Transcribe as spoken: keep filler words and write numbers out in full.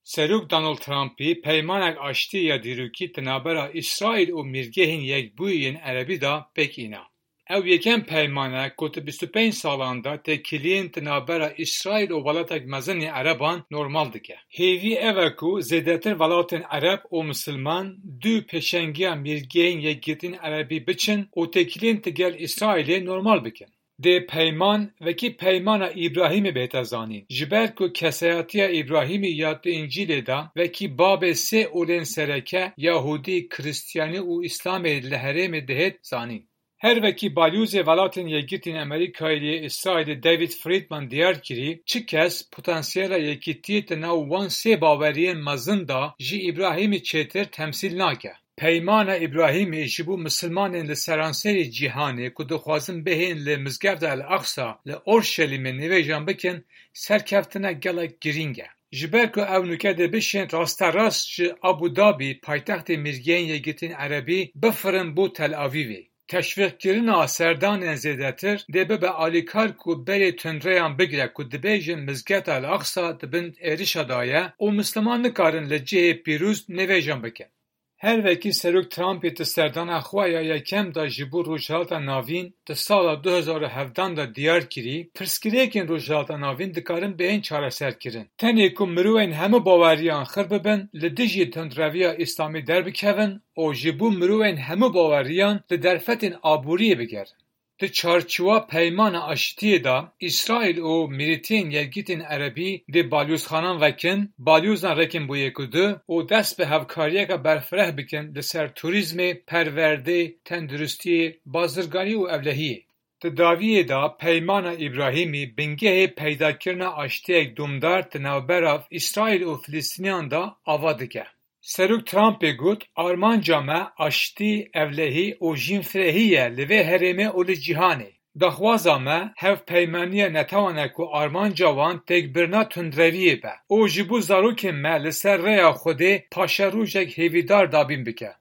Serok Donald Trumpî peymanek aştî ya dîrokî di navbera Îsraîl û Mîrgehên Yekbûyî yên Erebî de pêk îna. Ew yekem peyman e ku di bîst û pênc salan de têkiliyên di navbera Îsraîl û welatek mezin ê Ereban normal dike. Hêvî ev e ku zêdetir welatên Ereb û Misilman dû pêşengiya Mîrgehên Yekgirtîn Erebî biçin û têkiliyên digel Îsraîlê normal bikin. Dê peyman wekî peymana Îbrahîmê bihête zanîn. Ji ber ku kesayetiya Îbrahîmî ya di Încîlê de wekî babê sê olên sereke, Yahûdî, Kristiyanî û Îslamê li herêmê dihêt zanîn. Her wekî balyozê Welatên Yekgirtî yên Amerîkayê yê Îsraîlê David Friedman diyar kirî, çi kes potansiyela yekîtiyê di nav wan sê baweriyên mezin de ji Îbrahîmî çêtir temsîl nake. Peymana Îbrahîmê ji bo misilmanên li seranserê cîhanê ku dixwazin bihên li Mizgefta El Aqsa li Orşelîmê nivêjan bikin, serkeftinek gelek girîng e. Ji ber ku ew nûke dê bişên rasterast ji Abu Dabî, paytextê Mîrgehên Yekgirtî yên Erebî, bifirin bo Tel Avîvê. Teşwîqkirina serdanên zêdetir dê bibe alîkar ku berê tundreyan bigire ku dibêjin Mizgefta El Aqsa di bin êrişa de ye û Misliman nikarin li cihê pîroz nivêjan bikin. Her wekî Serok Trumpî di serdana xwe ya yekem de ji bo Rojhilata Navîn di sala du hezar û hevdan de diyar kirî, pirsgirêkên Rojhilata Navîn dikarin bihên çareserkirin. Tenê ku mirovên hemû baweriyan xir bibin, li dijî tundreviya Îslamî derbikevin û ji bo mirovên hemû baweriyan li derfetên aboriyê bigerin. Di çarçiwa peymana aştiyê de, Îsraîl û Mîrîtiyên Yekgirtî yên Erebî dê balyozxanan vekin, balyozan rêkin bo yek û du û dest bi hevkariyeke berfireh bikin li ser turîzmê, perwerdê, tenduristiyê, bazirganî û ewlehiyê. Di dawiyê de peymana Îbrahîmî bingehê peydakirina aştiyek domdar di navbera Îsraîl û Filistîniyan de ava dike. Serok Trumpê got, armanca me aştî, ewlehî û jînfirehî ye li vê herêmê û li cîhanê. Daxwaza me hevpeymaniya netewan e ku armanca wan têkbirina tundreviyê be û ji bo zarokên me li ser rêya Xwedê paşerojek hêvîdar dabîn bike.